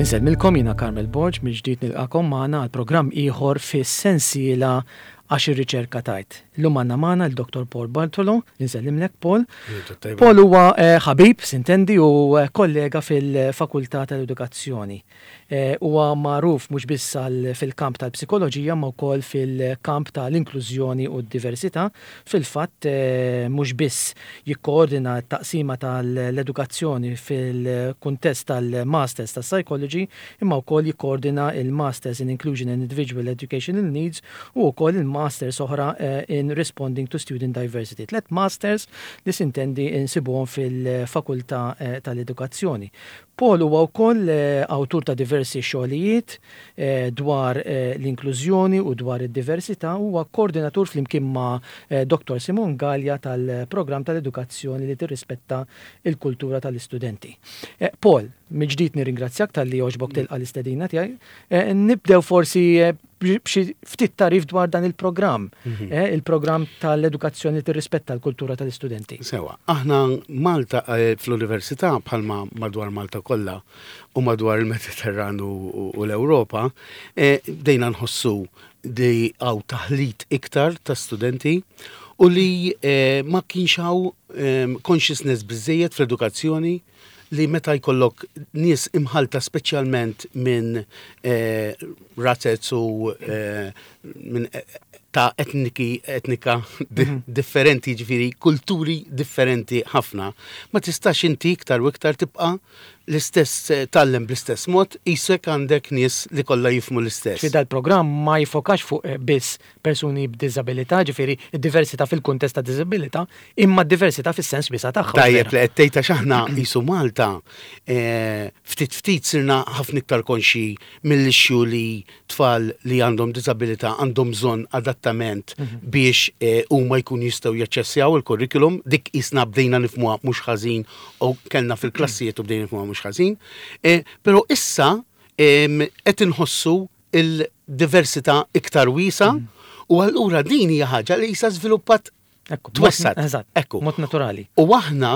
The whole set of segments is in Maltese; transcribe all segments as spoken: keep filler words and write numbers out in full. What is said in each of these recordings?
Insellmilkom, jiena Carmel Borg, mill-ġdid nilqagħkom magħna għal programm ieħor fis-sensiela Għax ir-riċerka tgħid. Illum għandna magħna l-Dottor Paul Bartolo, insellimlek, Paul. Paul huwa eh, ħabib, sintendi, u eh, kollega fil-Fakultà tal-Edukazzjoni. Eh, huwa magħruf mhux biss fil-kamp tal-psikoloġija ma wkoll fil-kamp tal-inklużjoni u d-diversità. Fil-fatt mhux biss jikkoordina t-taqsima tal-edukazzjoni fil-kuntest tal-Masters tas-Psychology, imma wkoll jikkoordina il-Masters in Inclusion and Individual Educational Needs u wkoll il-Masters oħra in Responding to Student Diversity. Tlet Masters li sintendi insibuhom fil-Fakultà tal-Edukazzjoni. Paul huwa wkoll awtur ta' diversi xogħlijiet dwar l-inklużjoni u dwar id-diversità, huwa koordinatur flimkien ma' Dottor Simon Gallia tal-programm tal-edukazzjoni li tirrispetta il-kultura tal-istudenti. Paul, mill-ġdid nirringrazzjak talli għoġbok tilqa' l-istedina tiegħi. Nibdew forsi b'xi ftit tagħrif dwar dan il-programm, il-programm tal-edukazzjoni li tirrispetta l-kultura tal-istudenti. Sewa, aħna Malta fl-università, bħalma madwar Malta kollha u madwar il-Mediterran u l-Ewropa, bdejna nħossu li hawn taħlit iktar ta' studenti u li ma kienx hawn consciousness biżejjed fl-edukazzjoni li meta jkollok nies imħalta, speċjalment minn razez u minn ta' etniki, etnika differenti, ġifieri kulturi differenti ħafna, ma tistax inti iktar u iktar tibqa' l-istess tgħallem bl-istess mod, qisek għandek nies li kollha jifhmu l-istess. Fi dal-programm ma jiffokax fuq biss persuni b'diżabilità, ġifieri id-diversità fil-kuntest ta' diżabilità, imma d-diversità fis-sens wiesa' tagħha. Tajjeb li qed tgħid, għax aħna qisu Malta ftit ftit sirna ħafna iktar konxi mill-issue li tfal li għandhom diżabilità għandhom bżonn adattament biex huma jkun jistgħu jaċċessjaw il-kurrikulum. Dik qisna bdejna nifhmuha mhux ħażin u kellna fil-klassijiet u bdejna nifhmuha mhux ħażin. Però issa qed inħossu il-diversità iktar wiesa u allura din hija ħaġa li issa żviluppat, twessgħet. Eżatt, Ekku. mod naturali. U aħna,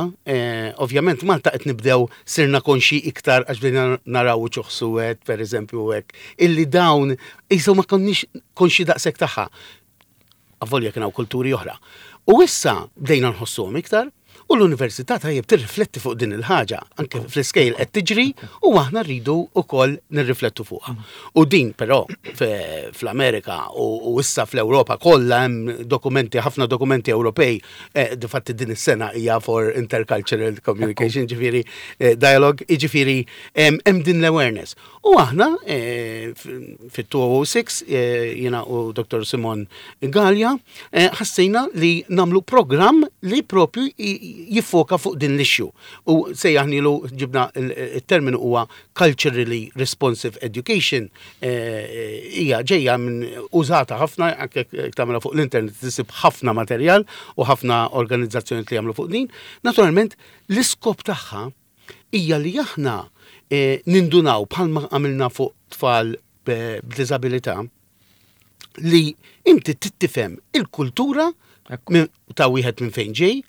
ovvjament, Malta qed nibdew sirna konxi iktar għax bdejna naraw uċuħ suwed, per eżempju, hekk, illi dawn qisu ma konniex konxi daqshekk tagħha. Avolja kien hawn kulturi oħra. U issa bdejna nħossuhom iktar u l-università tajjeb tirrifletti fuq din il-ħaġa, anke fl-iskejjel qed tiġri u aħna rridu wkoll nirriflettu fuqha. U din però fl-Amerika u issa fl-Ewropa kollha hemm dokumenti, ħafna dokumenti Ewropej, difatti din is-sena hija for intercultural communication, ġifieri dialogue, jiġifieri hemm din l-awareness. U aħna fit-elfejn u sitta, jiena u Dottor Simon Gallia, ħassejna li nagħmlu programm li propju jiffoka fuq din l-issue. U sejjaħnilu, ġibna il-terminu, huwa culturally responsive education, hija ġejja minn użata ħafna, anke tagħmilha fuq l-internet tisib ħafna materjal u ħafna organizzazzjoni li jagħmlu fuq din. Naturalment, l-iskop tagħha hija li aħna nindunaw, bħalma għamilna fuq tfal b'diżabilità, li inti tifhem il-kultura ta' wieħed minn fejn ġej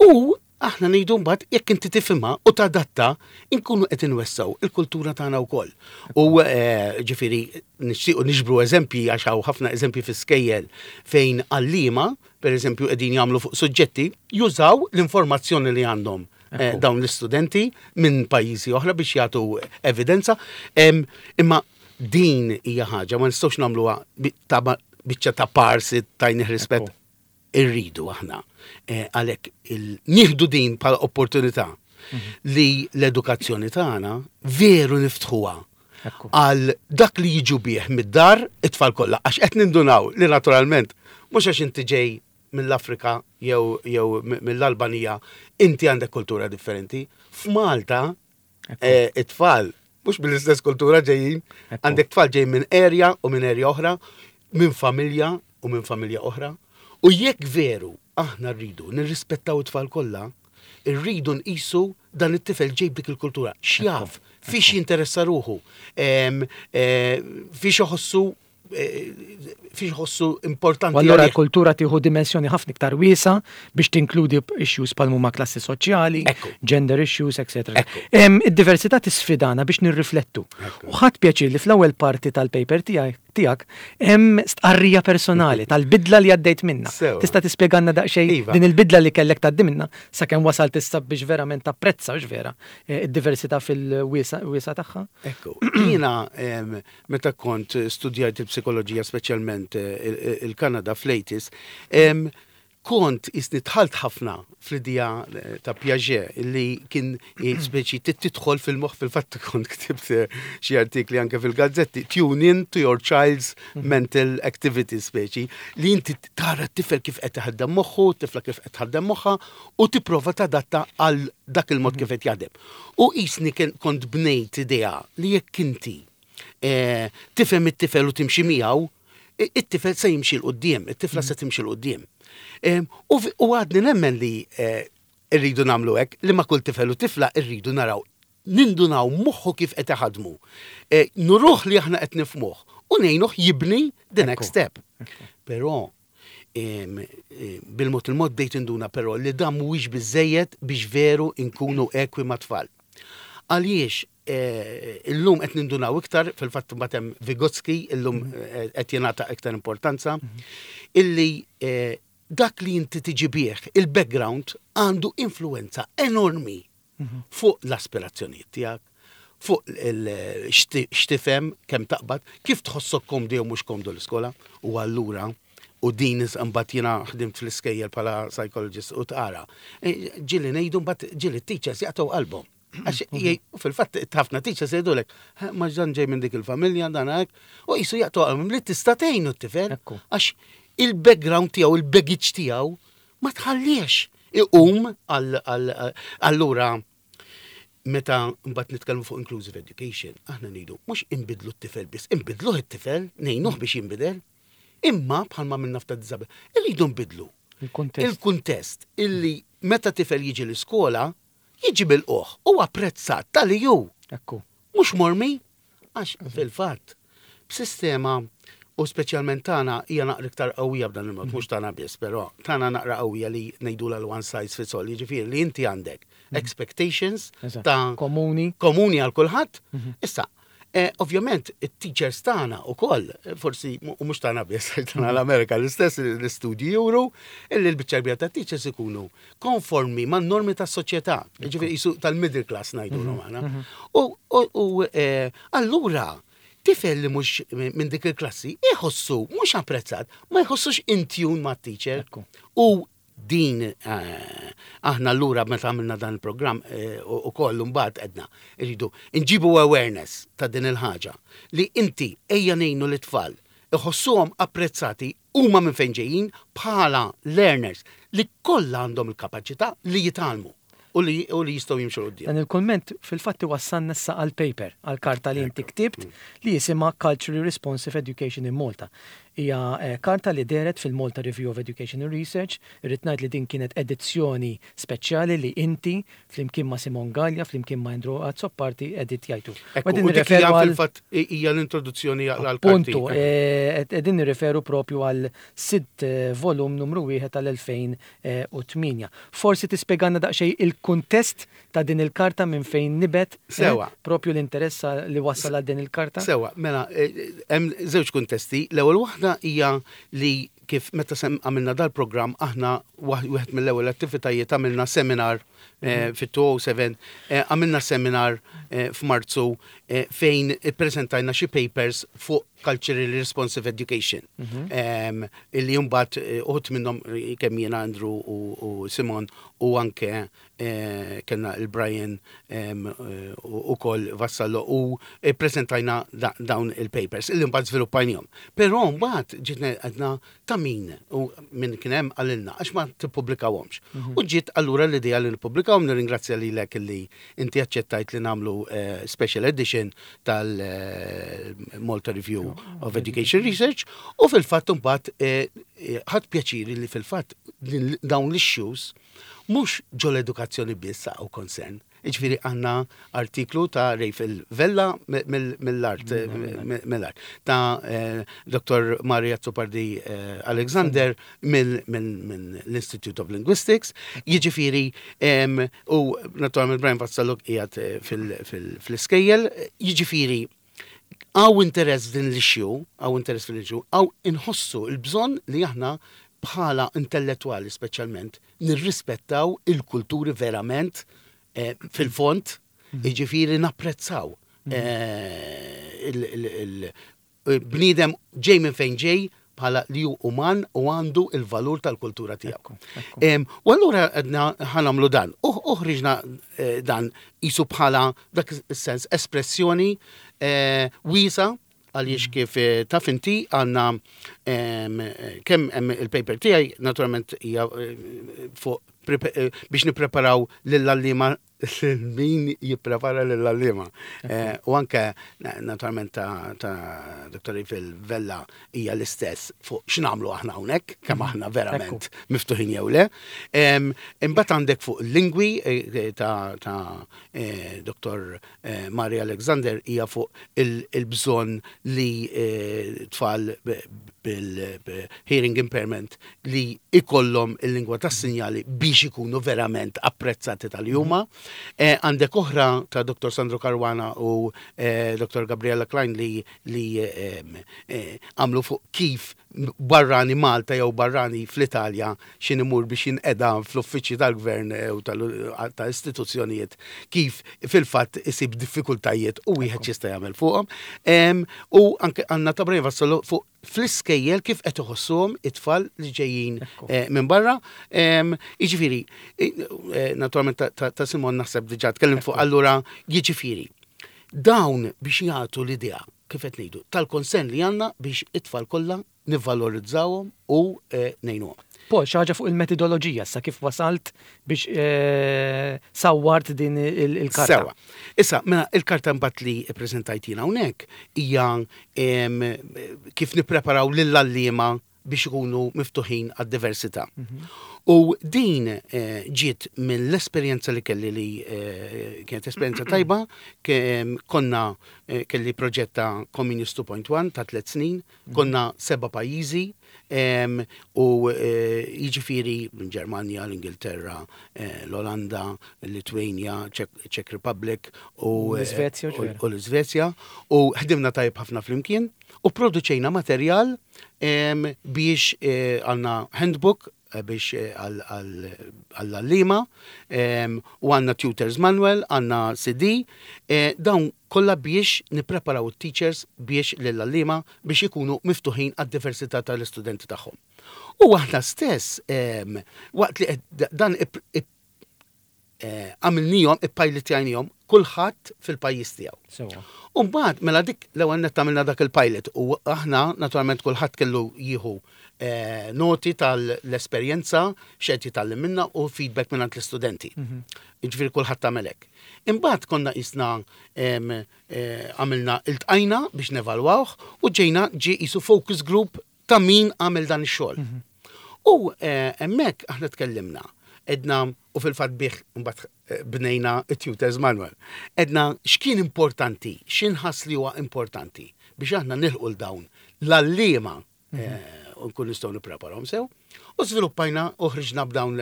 u aħna ngħidu mbagħad jekk inti tifhimha u tadatta, inkunu qed inwessgħu il-kultura tagħna wkoll. U ġifieri nixtiequ niġbru eżempji, għax hawn ħafna eżempji fi skejjel fejn għalliema, pereżempju, qegħdin jagħmlu fuq suġġetti, jużaw l-informazzjoni li għandhom dawn l-istudenti minn pajjiżi oħra biex jagħtu evidenza. Imma din hija ħaġa ma nistgħux nagħmluha ta' biċċa ta' parsi tajni rispett. Irridu aħna għalhekk nieħdu din bħala opportunità li l-edukazzjoni tagħna veru niftħuha għal dak li jiġu bih mid-dar it-tfal kollha, għax qed nindunaw li naturalment mhux għax inti ġej mill-Afrika jew jew mill-Albanija inti għandek kultura differenti. F'Malta it-tfal mhux mill-istess kultura ġejjin, għandek tfal ġejjin minn area u minn area oħra, minn familja u minn familja oħra. U jekk veru aħna rridu nirrispettaw it-tfal kollha, irridu nqisu dan it-tifel ġej b'dik il-kultura. X'jaf, fiex jinteressa ruħu, fiex iħossu, fiex ħossu importanti. U allura l-kultura tieħu dimensjoni ħafna iktar wiesa biex tinkludi issues bħal huma klassi soċjali, gender issues, et cetera. Id-diversità tisfidana biex nirriflettu. U ħadt pjaċir li fl-ewwel parti tal-paper tiegħek hemm stqarrija personali tal-bidla li għaddejt minna. Tista' tispjegalna daqsxejn iva. din il-bidla li kellek tgħaddi minna sakemm wasalt issa biex verament tapprezza u vera eh, id-diversità fil-wiesa tagħha? Ekku, jiena meta kont studjajt il-psikoloġija, speċjalment eh, il-Kanada fl-eighties, kont jisni dħalt ħafna fl-idea eh, ta' Piaget li kien speċi tidħol fil-moħħ. Fil-fatt kont ktibt eh, xi artikli anke fil-gazzetti, "Tune in to your child's mental activity", speċi li inti tara t-tifel kif qed taħdem moħħu, tifla kif qed taħdem moħħha u tipprova tadatta għal dak il-mod kif qed jaħdem. U jisni kont bnejt idea li jekk inti eh, tifhem it-tifel u timxi miegħu, it-tifel se jimxi 'l quddiem, it-tifla se timxi 'l quddiem. U għadni nemmen li eh, irridu nagħmlu hekk, li ma' kull tifel u tifla irridu naraw, nindunaw moħħu kif qed iħadmu. Eh, nuruh li aħna qed nifhmuh u ngħinuh jibni the next step. Però bil-mod il-mod bdejt induna però li dan mhuwiex biżejjed biex veru nkunu ekwi ma' tfal. Għaliex eh, illum qed nindunaw iktar, fil-fatt mbagħad hemm Vygotsky, illum mhm. qed jingħata iktar importanza, mhm. illi dak li inti tiġi bih, il-background għandu influenza enormi mhm. fuq l-aspirazzjonijiet tiegħek, fuq x'tifhem, kemm taqbad, kif tħossok komdu jew mhux komdu l-iskola, u allura u din mbagħad jiena ħdimt fl-iskejjel bħala psychologist u tara. E, ġieli ngħidu mbagħad ġieli teachers jaqtgħu qalbhom. Għax fil-fatt ħafna teachers jgħidulek, "Ma ġan ġej minn dik il-familja dan hekk", u jisu jaqtgħu qalbhom li tista' tgħinu t-tifel. Għax il-background tiegħu, il-baggage tiegħu ma tħalliex iqum. Allura meta mbagħad nitkellmu fuq inclusive education, aħna ngħidu mhux inbidlu t-tifel biss, inbidluh it-tifel, ngħinuh biex jinbidel, imma bħalma minna fta diżabilità, irridu nbidlu il-kuntest illi meta tifel jiġi l-iskola, jiġi bil-oħ u apprezzat tal-li ju. Ekku. Mhux mormi, għax fil-fatt, b'sistema u speċjalment tagħna hija naqra iktar qawwija b'dan il-mod, mhux tagħna biss, però tagħna naqra qawwija li ngħidula l-one size fits all, jiġifieri li inti għandek expectations Eżatt. ta' Komuni. komuni għal kulħadd. Issa, eh, ovvjament, it-teachers tagħna ukoll, forsi u mhux tagħna biss, tagħna l-Amerika l-istess l-istudji juru, illi l-biċċa kbira ta' teachers ikunu konformi man normi tas-soċjetà, jiġifieri jisu tal-middle class ngħidulhom aħna. U, u, u eh, allura tifel li mhux minn dik il-klassi iħossu mhux apprezzat, ma jħossux in tune ma' teacher. Ekku. U din eh, aħna allura meta għamilna dan il-programm eh, u u koll mbagħad għedna irridu nġibu awareness ta' din il-ħaġa li inti ejja ngħinu l-tfal iħossuhom apprezzati huma minn fejn ġejjin bħala learners li kollha għandhom il-kapaċità li jitgħallmu u li, u li jistgħu jimxu 'l quddiem. Dan il-komment fil-fatti wassalna issa għal paper, għal karta li inti ktibt li jisimha Culturally Responsive Education in Malta. Hija eh, karta li dehret fil-Malta Review of Education and Research. Irrid ngħid li din kienet edizzjoni speċjali li inti flimkien ma' Simon Gallia, flimkien ma' Andrew Azzopardi editjajtu. Ekku, u dik hija fil-fatt hija l-introduzzjoni għal Puntu, eh, qegħdin nirreferu propju għal sitt eh, volum numru wieħed tal-elfejn u tmienja. Forsi tispjegalna daqsxejn il-kuntest ta' din il-karta, minn fejn nibet eh, Sewa. propju l-interess li wassal għal din il-karta? Sewa, mela, eh, hemm żewġ kuntesti. L-ewwel waħda hija li kif meta sem għamilna dal-programm aħna waħ- wieħed mill-ewwel attivitajiet għamilna seminar eh, fit-elfejn u seba', eh, għamilna seminar eh, f'Marzu eh, fejn ippreżentajna xi papers fuq culturally responsive education. Em, Illi mbagħad eh, uħud minnhom eh, kemm jiena, Andrew u, u Simon u anke eh, kellna il-Brian em, eh, u ukoll Vassallo u prezentajna da, dawn il-papers illi mbagħad żviluppajnihom. Però mbagħad ġitna għedna ta' min u min kien hemm qalilna għax ma tippubblikawhomx. U ġiet allura l-idea li nippubblikawhom. Nirringrazzja lilek li inti aċċettajt li nagħmlu eh, special edition tal-Malta Review of Education Research u fil-fatt mbagħad eh, eh, ħadt pjaċiri li fil-fatt din- dawn l-issues mhux ġol edukazzjoni biss u concern. Jiġifieri għandna artiklu ta' Rafel Vella mill-art, mill-art, ta' Dottor Maria Azzopardi Alexander mill-Institute of Linguistics, jiġifieri u naturalment Brian Vassallo qiegħed fil-iskejjel, jiġifieri hawn interess din l-issue, hawn interess fil-issue, hawn inħossu l-bżonn li aħna bħala intellettuali speċjalment nirrispettaw il-kulturi verament fil-fond, jiġifieri napprezzaw il-bniedem ġej minn fejn ġej bħala li hu uman u għandu il-valur tal-kultura tiegħu. U allura għedna ħa nagħmlu dan. U ħriġna dan isu bħala dak is-sens espressjoni wiesa għaliex kif taf inti għandna kemm hemm il-paper tiegħi naturalment hija fuq biex nippreparaw lill-għalliema, min jipprepara lill-għalliema. U anke naturalment ta' Dottor Rafel Vella hija l-istess fuq x'nagħmlu aħna hawnhekk, kemm aħna verament miftuħin jew le. Imbagħad għandek fuq lingwi ta' Dottor Maria Alexander hija fuq il-bżonn li tfal bil-hearing impairment li ikollhom il-lingwa tas-sinjali biex ikunu verament apprezzati tal-juma. Għandek oħra ta' Dottor Sandro Caruana u Dottor Gabriella Klein li għamlu fuq kif barrani Malta jew barrani fl-Italja xin imur biex jinqeda fl-uffiċċji tal-gvern u ta' istituzzjonijiet kif fil-fatt isib diffikultajiet u wieħed jista' jagħmel fuqhom. U anke għandna ta' Brian Vassallo fuq fl-iskejjel kif qed iħossuhom it-tfal li ġejjin minn barra. Jiġifieri, naturalment ta' Simon naħseb diġà tkellim fuq, allura jiġifieri dawn biex jagħtu l-idea kif qed ngħidu tal-konsen li għandna biex it-tfal kollha nivvalorizzawhom u ngħinuhom. Paul, xi ħaġa fuq il-metodoloġija sa kif wasalt biex sawwart din il-karta. Sewa. Issa, mela il-karta mbagħad li ppreżentajt jiena hawnhekk hija kif nippreparaw lill-għalliema biex ikunu miftuħin għad-diversità. U din ġiet mill-esperjenza li kelli li kienet esperjenza tajba, konna kelli proġett ta' Comenius two point one ta' tliet snin, konna seba' pajjiżi, u jiġifieri minn Ġermanja, l-Ingilterra, l-Olanda, l-Litwanja, Czech Republic u l-Iżvezja, u ħdimna tajjeb ħafna flimkien u produċejna materjal biex għandna handbook biex għall-għalliema, u għandna tutors manual, għandna C D, dawn kollha biex nippreparaw it-teachers biex lill-għalliema biex ikunu miftuħin għad-diversità tal-istudenti tagħhom. U aħna stess waqt li dan għamilnihom, ippilotjajnihom kulħadd fil-pajjiż tiegħu. U mbagħad mela dik l-ewwel nett għamilna dak il-pilot u aħna naturalment kulħadd kellu jieħu noti tal-esperjenza x'qed jitgħallem minna u feedback minn l-istudenti. Jiġifieri kulħadd tagħmel hekk. Imbagħad konna qisna għamilna iltqajna biex nevalwawh u ġejna ġie qisu focus group ta' min għamel dan ix-xogħol. U hemmhekk aħna tkellimna, edna u fil-fatt bih mbagħad bnejna it-tutors manual. Edna x'kien importanti, x'inħass li huwa importanti biex aħna nilħqu l dawn l-għalliema u nkun nistgħu nippreparahom sew. U żviluppajna u ħriġna b'dawn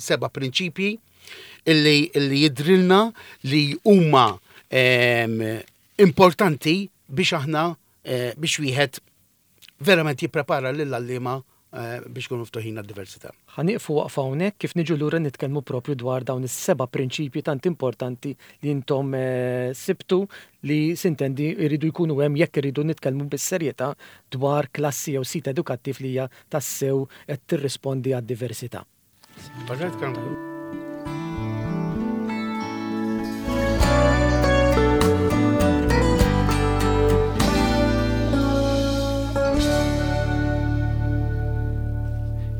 seba' prinċipji illi jidrilna li huma importanti biex aħna biex wieħed verament jipprepara lill-għalliema biex kunu ftuħin għad-diversità. Ħa nieqfu waqfa hawnhekk kif niġu lura nitkellmu propju dwar dawn is-seba' prinċipji tant importanti li intom sibtu li sintendi jridu jkunu hemm jekk iridu nitkellmu bis-serjetà dwar klassi jew sit edukattiv li hija tassew qed tirrispondi għad-diversità.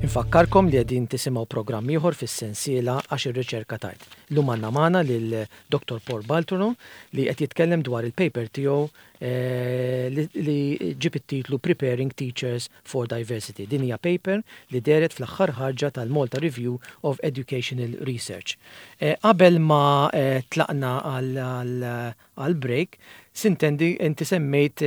Infakkarkom li qegħdin tisimgħu programm ieħor fis-sensiela għax ir-riċerka tajt. Illum għandna magħna lil Dottor Paul Bartolo li qed jitkellem dwar il-paper tiegħu eh, li, li ġib it-titlu Preparing Teachers for Diversity. Din hija paper li dehret fl-aħħar ħarġa tal-Malta Review of Educational Research. Eh, qabel ma eh, tlaqna għal break, sintendi inti semmejt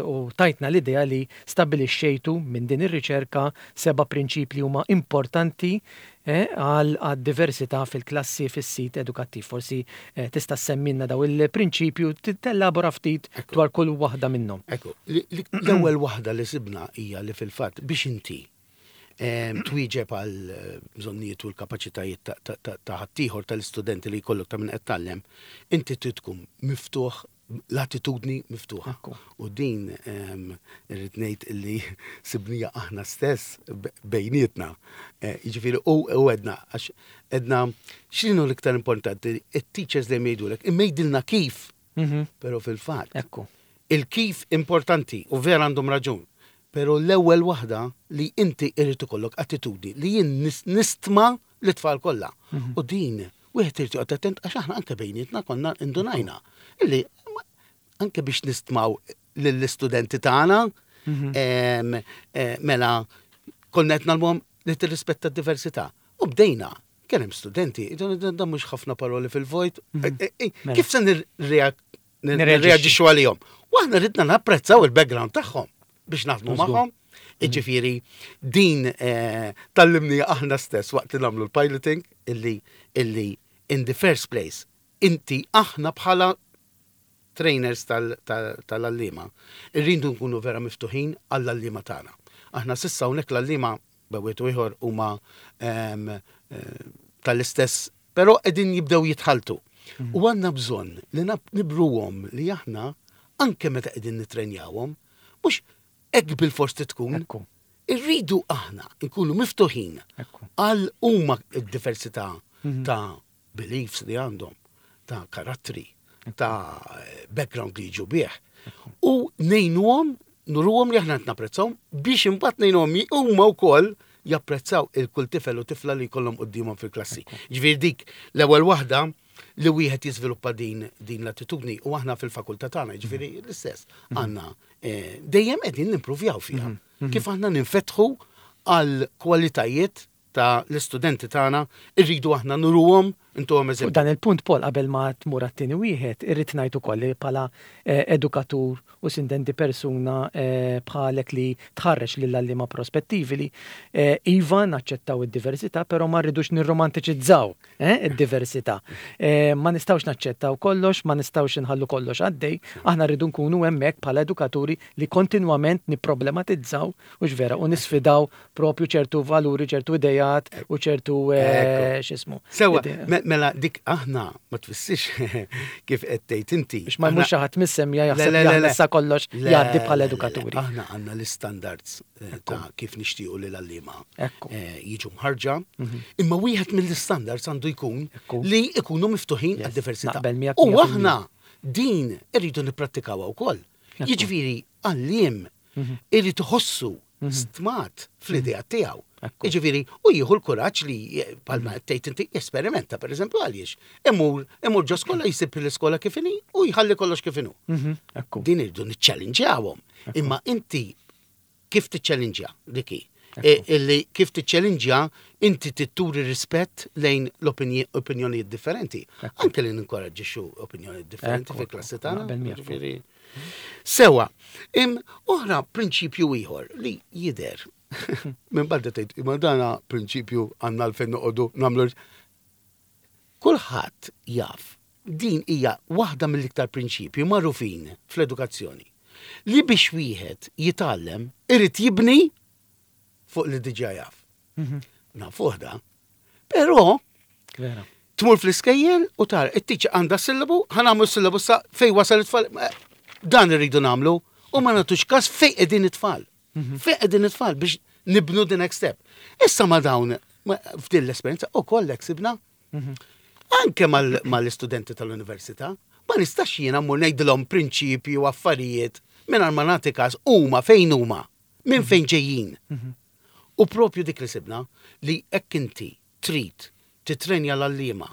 u tajtna l-idea li stabilixxejtu minn din ir-riċerka seba' prinċipli huma importanti għal diversità fil-klassi, fis-sit edukattiv. Forsi tista' semmilna daw il-prinċipju, tellabora ftit dwar kull waħda minnhom. Ekku, l-ewwel waħda li sibna hija li fil-fatt biex inti twieġeb għal bżonnijiet u l-kapaċitajiet ta' ħaddieħor, tal-istudenti li jkollok, ta' min qed tgħallem, inti trid tkun miftuħ, l-attitudni miftuħa. U din irrid ngħid illi sibnija aħna stess bejnietna. Jiġifieri u għedna, għax għedna x'inhu l-iktar importanti, it-teachers li jgħidulek, imma jgħidilna kif. Però fil-fatt. Il-kif importanti u vera għandhom raġun. Pero l-ewwel waħda li inti irid ikollok attitudni li jien nistma l-tfal kollha. U din wieħed irid joqgħod attent, għax aħna anke bejnietna konna indunajna illi anke biex nistmaw lill-istudenti tagħna, mela konna qed ngħallmuhom li tirrispetta d-diversità. U bdejna, kien hemm studenti, dan mhux ħafna paroli fil-vojt, kif se nirreaġixxu għalihom? U aħna ridna napprezzaw il-background tagħhom biex naħdmu magħhom. Iġifieri din tgħallimna aħna stess waqt li nagħmlu l-piloting illi illi in the first place inti, aħna bħala trainers tal-għalliema, irridu nkunu vera miftuħin għall-għalliema tagħna. Aħna s'issa hawnhekk l-għalliema bejn ieħor huma tal-istess, però qegħdin jibdew jitħaltu. U għandna bżonn li nibruhom li aħna anke meta qegħdin nitrenjawhom, mhux hekk bil-fors tkun. Irridu aħna nkunu miftuħin għal huma d-diversità ta' beliefs li għandhom, ta' karattri, ta' background li jiġu bih. U ngħinuhom, nuruhom li aħna napprezzawhom biex imbagħad ngħinuhom huma wkoll japprezzaw il-kull tifel u tifla li jkollhom quddiemhom fil-klassi. Ġifieri dik l-ewwel waħda, li wieħed jiżviluppa din din l-attitudni, u aħna fil-fakultà tagħna, ġifieri l-istess, għandna eh, dejjem qegħdin nimpruvjaw fiha. Kif aħna ninfetħu għal kwalitajiet ta' l-istudenti tagħna, irridu aħna nuruhom, intuhom eżempju. Dan il-punt, Paul, qabel ma tmur għat-tieni wieħed, irrid ngħid ukoll li bħala eh, edukatur u sintendi persuna eh, bħalek li tħarreġ lill-għalliema prospettivi li eh, iva, naċċettaw id-diversità, però ma rridux nirromantiċizzaw id-diversità. Ma nistgħux naċċettaw kollox, ma nistgħux inħallu kollox għaddej, aħna rridu nkunu hemmhekk bħala edukaturi li kontinwament nipproblematizzaw u vera u nisfidaw propju ċertu valuri, ċertu idejat u ċertu x'ismu. Sewa, mela dik aħna ma tfissirx kif qed tgħid inti. Biex ma jmurx ħadd mis-semja jaħseb li aħna issa kollox jgħaddi bħala edukaturi. Aħna għandna l-istandards eh, ta' kif nixtiequ li l-għalliema eh, jiġu mħarġa, mhm. imma wieħed mill-istandards għandu jkun li ikunu miftuħin għad-diversità. U aħna din irridu nipprattikawha wkoll. Jiġifieri għalliem mhm. irid iħossu mhm. stmat fl-idea tiegħu. Jiġifieri, u jieħu l-kuraġġ li, bħalma tgħid inti, jesperimenta, pereżempju, għaliex. Imur, imur ġo skola, jsib l-iskola kif inhi u jħalli kollox kif inhu. Mhm, ekku. Din irridu niċċellinġjawhom. Imma inti kif tiċċellinġja dik? E, illi kif tiċċellinġja, inti turi rispett lejn l-opinjonijiet differenti. Anke li ninkoraġġixxu opinjonijiet differenti Ekku, fil-klassi tagħna. Naqbel miegħek. Ġifieri. Sewa, im oħra prinċipju ieħor li jidher minn barra, tgħid, imma dana prinċipju għandna l-fejn noqogħdu nagħmlu? Kulħadd jaf, din hija waħda mill-iktar prinċipji magħrufin fl-edukazzjoni, li biex wieħed jitgħallem irid jibni fuq li diġà jaf. Nafuh da. Però Vera. tmur fl-iskejjel u tara, it-teacher għandha sillabu, ħa nagħmlu sillabu sa fej wasal it-tfal. Eh, Dan irridu nagħmlu u ma nagħtux każ fej qegħdin it-tfal. Fej qegħdin it-tfal biex nibnu the next step. Issa ma dawn ma- f'din l-esperjenza u kollek sibna anke mal- mal-istudenti tal-università, ma nistax jiena mmur ngħidilhom prinċipji u affarijiet mingħajr ma nagħti każ huma fejn huma, minn fejn ġejjin. U propju dik li sibna, li hekk inti trid titrenja l-għalliema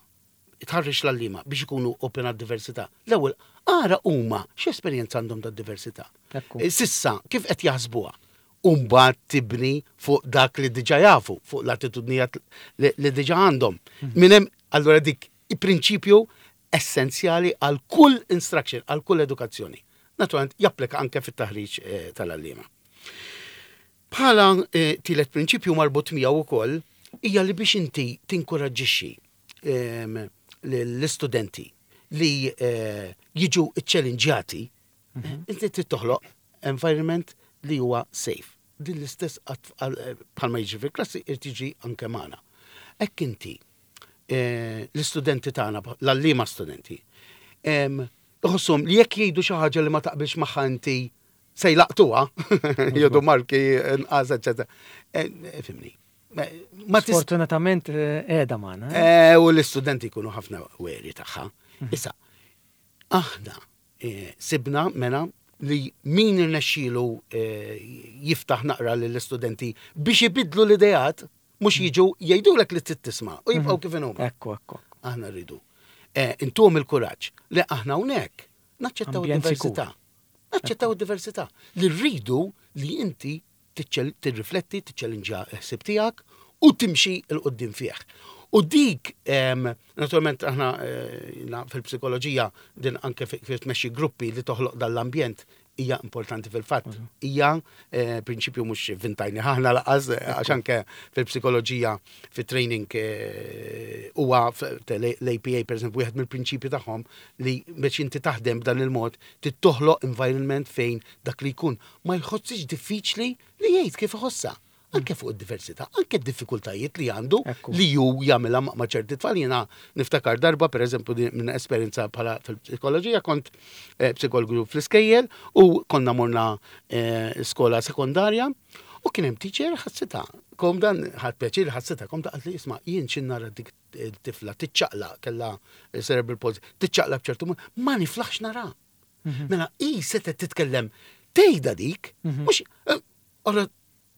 tħarreġ l-għalliema biex ikunu open għad-diversità. L-ewwel, ara huma x'esperjenza għandhom tad-diversità. Ekku. Eh, S'issa, kif qed jaħsbuha? U mbagħad tibni fuq dak li diġà jafu, fuq l-attitudnijiet li, li diġà għandhom. Minn hemm, allura dik il-prinċipju essenzjali għal kull instruction, għal kull edukazzjoni. Naturalment, japplika anke fit-taħriġ eh, tal-għalliema. Bħala eh, tielet prinċipju marbut miegħu wkoll hija li biex inti tinkoraġġixxi ehm, l-istudenti li eh, jiġu ċċellinġjati, inti trid toħloq environment li huwa safe. Din l-istess għat- għal- eh, bħalma jiġi fil-klassi irid jiġi anke magħna. Hekk inti eh, l-istudenti tagħna, l-għalliema studenti, em, iħossuhom li jekk jgħidu xi ħaġa li ma taqbilx magħha inti se jlaqtuha, jgħidu marki nqas, eċetera. Eh, eh, Fhimni. Ma tis- Sfortunatament eh, qiegħda magħna. eh? Eh, u l-istudenti jkunu ħafna weri tagħha. Issa, aħna eh, sibna mena li min irnexxielu eh, jiftaħ naqra lill-istudenti biex ibidlu l-ideat, mhux jiġu jgħidulek li trid tisma' u jibqgħu kif inhuma. Ekku, ekku. Aħna rridu. Eh, Intuhom il-kuraġġ li aħna hawnhekk naċċettaw Ambjent id-diversità. Naċċettaw id-diversità. Li rridu li inti tiċċel- tirrifletti, tiċċellinġa ħsib tiegħek u timxi 'l quddiem fih. U dik, em, naturalment aħna eh, na- fil-psikoloġija din anke fi fi tmexxi gruppi li toħloq dal-ambjent hija importanti fil-fatt. Hija eh, prinċipju mhux ivvintajnieh aħna lanqas eh, għax anke fil-psikoloġija fit-training eh, huwa l-A P A, per esempio, wieħed mill-prinċipju tagħhom li biex inti taħdem b'dan il-mod trid toħloq environment fejn dak li jkun ma jħossix diffiċli li jgħid kif iħossha. Anke fuq id-diversità, anke d-diffikultajiet li għandu Ekku. li ju jagħmilha ma' ma' ċerti tfal. Jiena niftakar darba, per eżempju, din minn esperjenza bħala fil-psikoloġija, kont eh, psikologu fl-iskejjel u konna morna eh, skola sekondarja u kien hemm teacher ħassitha. Kom dan ħadt pjaċir ħassitha, kom ta' li isma' jien x'ħin nara dik tifla tiċċaqla, kellha cerebral palsy, tiċċaqla b'ċertu mod, ma niflaħx nara. Mela i setet titkellem tgħidha dik, mhux eh, ora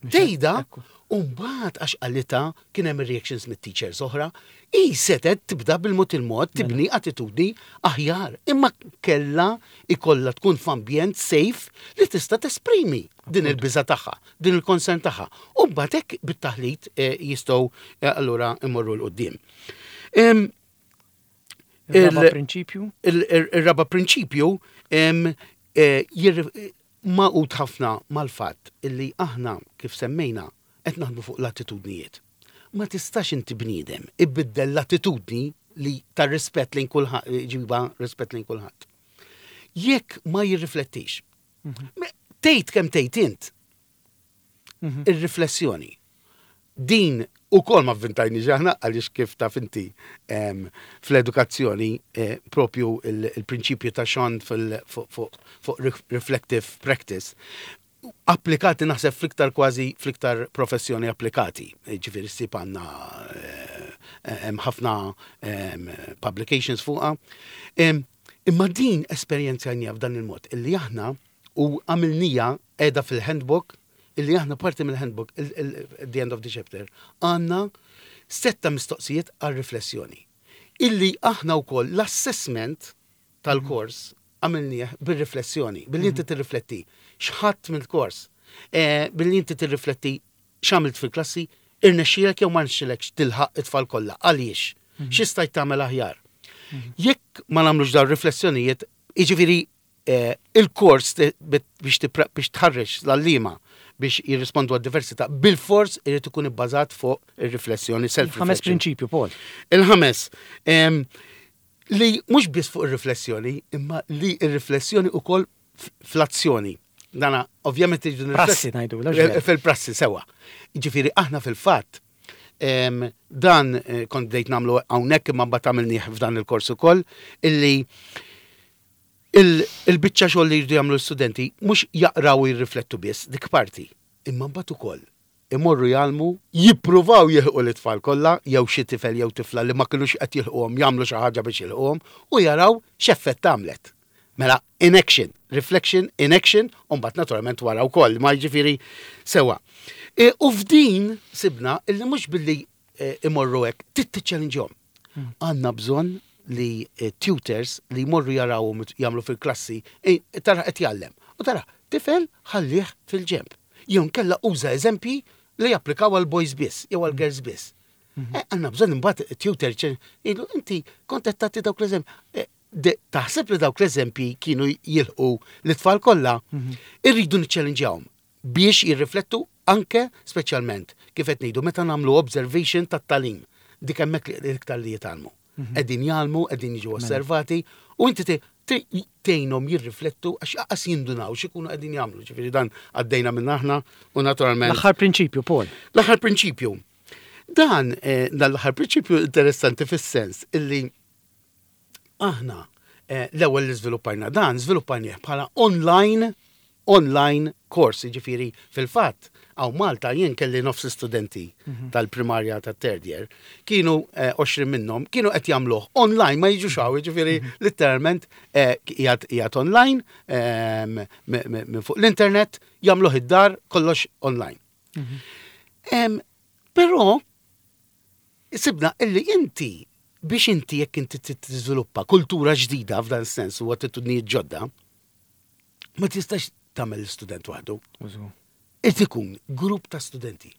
tgħidha. Ekku. U mbagħad għax qalitha kien hemm reactions mit-teachers oħra, i setet tibda bil-mod il-mod tibni attitudni aħjar. Imma kella ikolla tkun f'ambjent safe li tista' tesprimi din il-biża tagħha, din il-concern tagħha. U mbagħad hekk bit-taħlit eh, jistgħu eh, allura imorru 'l quddiem. Em, Il-raba il- prinċipju? il- il- Il-raba prinċipju em, eh, jirri- magħqud ħafna mal-fatt illi aħna kif semmejna qed naħdmu fuq l-attitudnijiet. Ma tistax inti bniedem ibiddel l-attitudni li tar rispett lejn kulħadd, ġiba rispett lejn kulħadd. Jekk ma jirriflettix. Me- Tgħid kemm tgħid int ir-riflessjoni. Din ukoll ma vvintajniex aħna għaliex kif taf inti em, fl-edukazzjoni eh, propju il- il-prinċipju ta' Schon fil- fuq fuq- fuq ref- reflective practice applikati naħseb fl-iktar kważi fl-iktar professjoni applikati. Eh, Ġifieri ssib għandna eh, hemm ħafna em, publications fuqha. Em, Imma din esperjenzajnieha f'dan il-mod illi aħna u għamilnieha qiegħda fil-handbook, illi aħna parti mill-handbook, il- il- at the end of the chapter, għandna setta mistoqsijiet għal riflessjoni. Illi aħna wkoll l-assessment tal-kors għamilnieh bil-riflessjoni, billi inti tirrifletti x'ħadt mill-kors, eh, billi inti tirrifletti x'għamilt fil-klassi, irnexxielek jew ma rnexxielekx tilħaq it-tfal kollha, għaliex, x'istajt tagħmel aħjar. Jekk ma nagħmlux dawn riflessjonijiet, jiġifieri eh, il-kors te- bit- biex tipra- biex tħarreġ l-għalliema biex jirrispondu għad-diversità, bil-fors irid ikun ibbażat fuq ir-riflessjoni, Ħames self-reflection. prinċipju, Paul. Il-ħames, em, li mhux biss fuq ir-riflessjoni, imma li ir-riflessjoni ukoll f- fl-azzjoni. Dana, ovvjament irridu Prassi nirrifletti- ngħidu, la ġveri. Fil-prassi, sewa. Ġifieri, aħna fil-fatt, em, dan eh, kont bdejt nagħmlu hawnhekk imma mbagħad għamilnieh f'dan il-kors ukoll, illi il- il-biċċa xogħol li jridu jagħmlu l-studenti mhux jaqraw u jirriflettu biss dik parti, imma mbagħad ukoll imorru jgħallmu, jippruvaw jilħqu l-itfal kollha, jew xi tifel jew tifla li ma kinux qed jilħquhom jagħmlu xi ħaġa biex jilħquhom u jaraw x'effett għamlet. Mela, in action, reflection, in action, u mbagħad naturalment wara wkoll, ma jiġifieri sewa. E, u f'din sibna illi mhux billi e, imorru hekk, trid tiċċellinġhom. Għandna bżonn li eh, tutors li jmorru jarawhom jagħmlu fil-klassi, eh, tara qed jgħallem. U tara, tifel ħallih fil-ġenb. Jew kella uża eżempji li japplikaw għal boys biss, jew għal girls biss. Eh, għandna bżonn imbagħad tutor jgħidu inti kont qed tagħti dawk l-eżempji. Taħseb li dawk l-eżempji kienu jilħqu l-tfal kollha, irridu niċċellinġjawhom biex jirriflettu anke speċjalment kif qed ngħidu meta nagħmlu observation tat-tagħlim. Dik hemmhekk l-iktar li jitgħallmu. Qegħdin jgħallmu, qegħdin jiġu osservati u inti tgħinhom jirriflettu għax aqas jindunaw x'ikunu qegħdin jagħmlu. Ġifieri dan għaddejna minn aħna u naturalment. L-aħħar prinċipju, Paul. L-aħħar prinċipju. Dan eh, dan l-aħħar prinċipju interessanti fis-sens illi aħna eh, l-ewwel li żviluppajna dan, żviluppajnieh bħala online online course, ġifieri fil-fatt, hawn Malta jien kelli nofs studenti mhm. tal-primarja ta' third year, kienu eh, għoxrin minnhom, kienu qed jagħmluh online ma jiġux hawn, ġifieri mhm. literalment qiegħed online ehm, minn fuq l-internet, jagħmluh id-dar kollox online. Mhm. Però sibna illi inti biex inti jekk inti tiżviluppa kultura ġdida f'dan sens u attitudnijiet ġodda, ma tistax tagħmel student waħdu. Irid ikun grupp ta' studenti.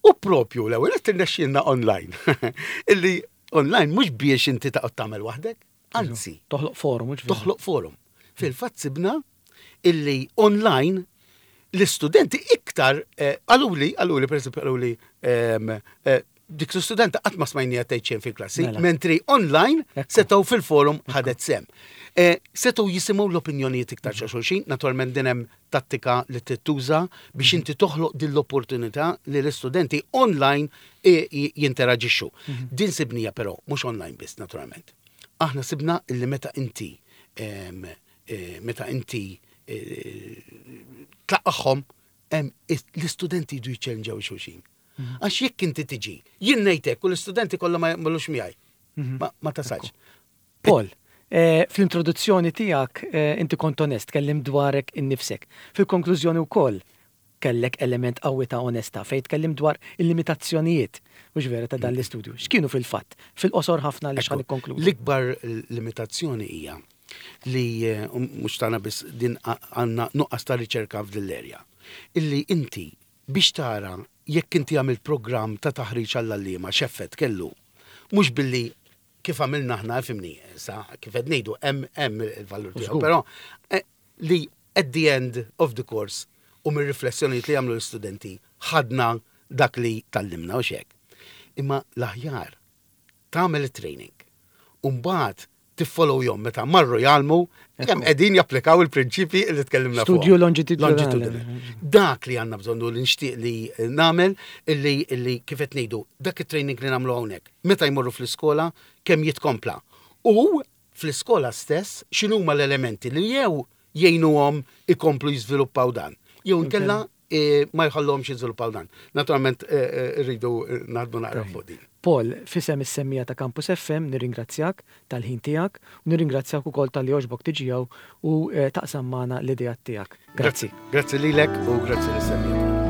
U propju l-ewwel qed tirnexxielna online. Illi online mhux biex inti taqgħod tagħmel waħdek, anzi. Toħloq forum. Toħloq forum. Fil-fatt sibna illi online l-istudenti iktar eh, qaluli, qaluli, per esempio, qaluli, eh, dik l-studenta qatt ma smajnija tgħid xejn fil-klassi, mela. mentri online setgħu fil-forum ħadet sehem. Eh, setgħu jisimgħu l-opinjonijiet iktar ta' xulxin, naturalment din hemm tattika li tittuża biex inti toħloq din l-opportunità li l-istudenti online jinteraġixxu. Mhm. Din sibnija però mhux online biss naturalment. Aħna sibna illi meta inti eh, meta inti eh, tlaqqagħhom l-istudenti jdu jiċċellinġaw xulxin. Mhm. Għax jekk inti tiġi, jien ngħidlek u l-istudenti kollha ma jaqblux miegħi. Mhm. Ma tasalx. Paul, eh, fl-introduzzjoni tiegħek eh, inti kont onest, kellim dwarek innifsek. Fil-konklużjoni wkoll kellek element qawwi ta' onesta fejn tkellim dwar il-limitazzjonijiet mhux vera ta' dan l-istudju. X'kienu fil-fatt? Fil-qosor ħafna li x'ħan ikkonkludu. L-ikbar limitazzjoni hija li eh, mhux tagħna biss din għandna nuqqas ta' riċerka f'din l-erja. Illi inti biex tara jekk inti għamilt programm ta' taħriġ għall-għalliema x'effett kellu. Mhux billi kif għamilna aħna fimni, sa kif qed ngħidu hemm hemm il-valur tiegħu, però eh, li at the end of the course u mir-riflessjonijiet li jagħmlu l-istudenti ħadna dak li tgħallimna u xek. Imma l-aħjar tagħmel it-training. U mbagħad tiffollowjahom meta marru jgħallmu kemm qegħdin japplikaw il-prinċipji li tkellimna fuq. Studju longitudinali. Dak li għandna bżonnu li nixtieq li nagħmel illi illi kif qed ngħidu dak it-training li nagħmlu hawnhekk. Meta jmorru fl-iskola kemm jitkompla. U fl-iskola stess x'inhuma l-elementi li jew jgħinuhom ikomplu jiżviluppaw dan. Jew nkella e, ma jħallhomx jiżviluppaw dan. Naturalment e, e, rridu naħdmu naqra fuq din. Paul, f'isem is-semmiegħa ta' Campus F M nirringrazzjak tal-ħin tiegħek u nirringrazzjak ukoll talli għoġbok tiġi u taqsam magħna l-idea tiegħek. Grazzi. Grazzi lilek u grazzi lis-semmiegħa.